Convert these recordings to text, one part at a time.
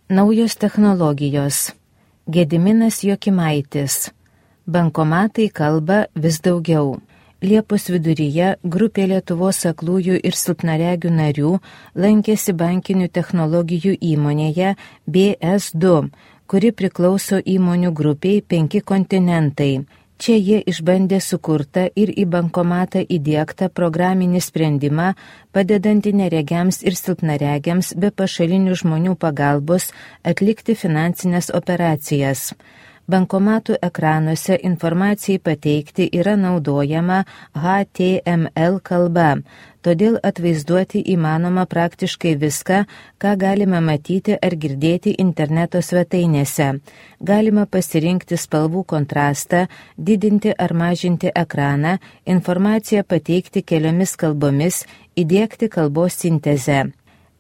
Naujos technologijos. Gediminas Jokimaitis. Bankomatai kalba vis daugiau. Liepos viduryje grupė Lietuvos aklųjų ir silpnaregių narių lankėsi bankinių technologijų įmonėje BS2, kuri priklauso įmonių grupiai 5 kontinentai. Čia jie išbandė sukurtą ir į bankomatą įdiegtą programinį sprendimą, padedantį neregiams ir silpnaregiams be pašalinių žmonių pagalbos atlikti finansinės operacijas. Bankomatų ekranuose informacijai pateikti yra naudojama HTML kalba, todėl atvaizduoti įmanoma praktiškai viską, ką galime matyti ar girdėti interneto svetainėse. Galima pasirinkti spalvų kontrastą, didinti ar mažinti ekraną, informaciją pateikti keliomis kalbomis, įdiegti kalbos sintezę.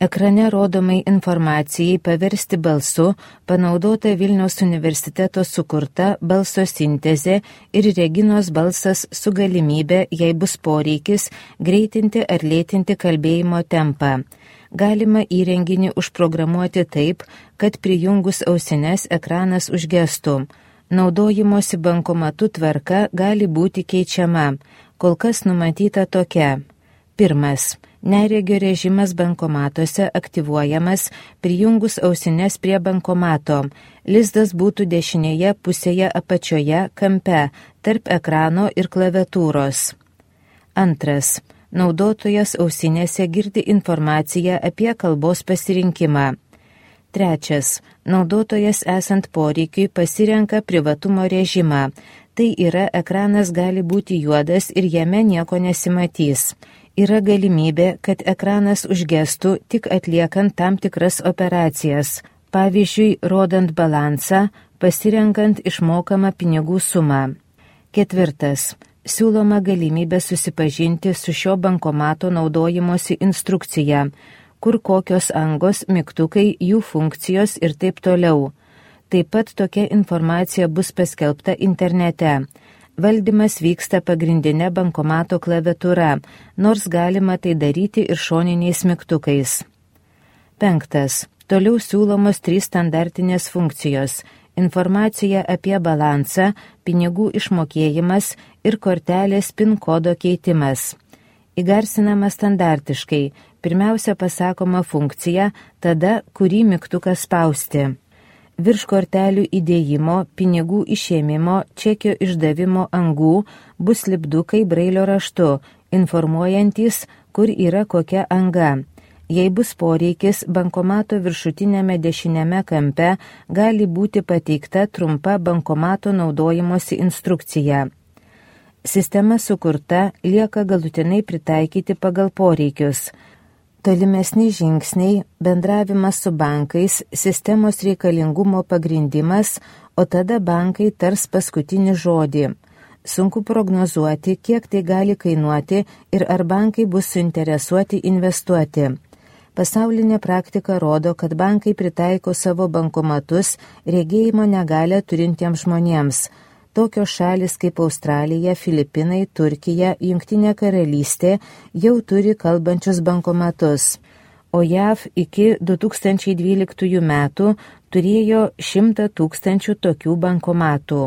Ekrane rodomai informacijai paversti balsu panaudota Vilniaus universiteto sukurta balso sintezė ir Reginos balsas su galimybė, jei bus poreikis, greitinti ar lėtinti kalbėjimo tempą. Galima įrenginį užprogramuoti taip, kad prijungus ausines ekranas užgestų. Naudojimosi bankomatu tvarka gali būti keičiama. Kol kas numatyta tokia. 1. Neregio režimas bankomatuose aktyvuojamas prijungus ausines prie bankomato. Lizdas būtų dešinėje pusėje apačioje kampe, tarp ekrano ir klaviatūros. 2. Naudotojas ausinėse girdi informaciją apie kalbos pasirinkimą. 3. Naudotojas esant poreikiui pasirenka privatumo režimą. Tai yra, ekranas gali būti juodas ir jame nieko nesimatys. Yra galimybė, kad ekranas užgestų tik atliekant tam tikras operacijas, pavyzdžiui, rodant balansą, pasirenkant išmokamą pinigų sumą. 4. Siūloma galimybė susipažinti su šio bankomato naudojimosi instrukcija, kur kokios angos, mygtukai, jų funkcijos ir taip toliau. Taip pat tokia informacija bus paskelbta internete. Valdymas vyksta pagrindinė bankomato klaviatūra, nors galima tai daryti ir šoniniais mygtukais. 5. Toliau siūlomos 3 standartinės funkcijos – informacija apie balansą, pinigų išmokėjimas ir kortelės PIN kodo keitimas. Įgarsinama standartiškai, pirmiausia pasakoma funkcija, tada kurį mygtuką spausti. Virš kortelių įdėjimo, pinigų išėmimo, čekio išdavimo angų bus lipdukai brailio raštu, informuojantys, kur yra kokia anga. Jei bus poreikis, bankomato viršutinėme dešinėme kampe gali būti pateikta trumpa bankomato naudojimosi instrukcija. Sistema sukurta, lieka galutinai pritaikyti pagal poreikius. Tolimesni žingsniai – bendravimas su bankais, sistemos reikalingumo pagrindimas, o tada bankai tars paskutinį žodį. Sunku prognozuoti, kiek tai gali kainuoti ir ar bankai bus suinteresuoti investuoti. Pasaulinė praktika rodo, kad bankai pritaiko savo bankomatus regėjimo negalią turintiems žmonėms. Tokios šalis kaip Australija, Filipinai, Turkija, Jungtinė karalystė jau turi kalbančius bankomatus, o JAV iki 2012 metų turėjo 100 000 tokių bankomatų.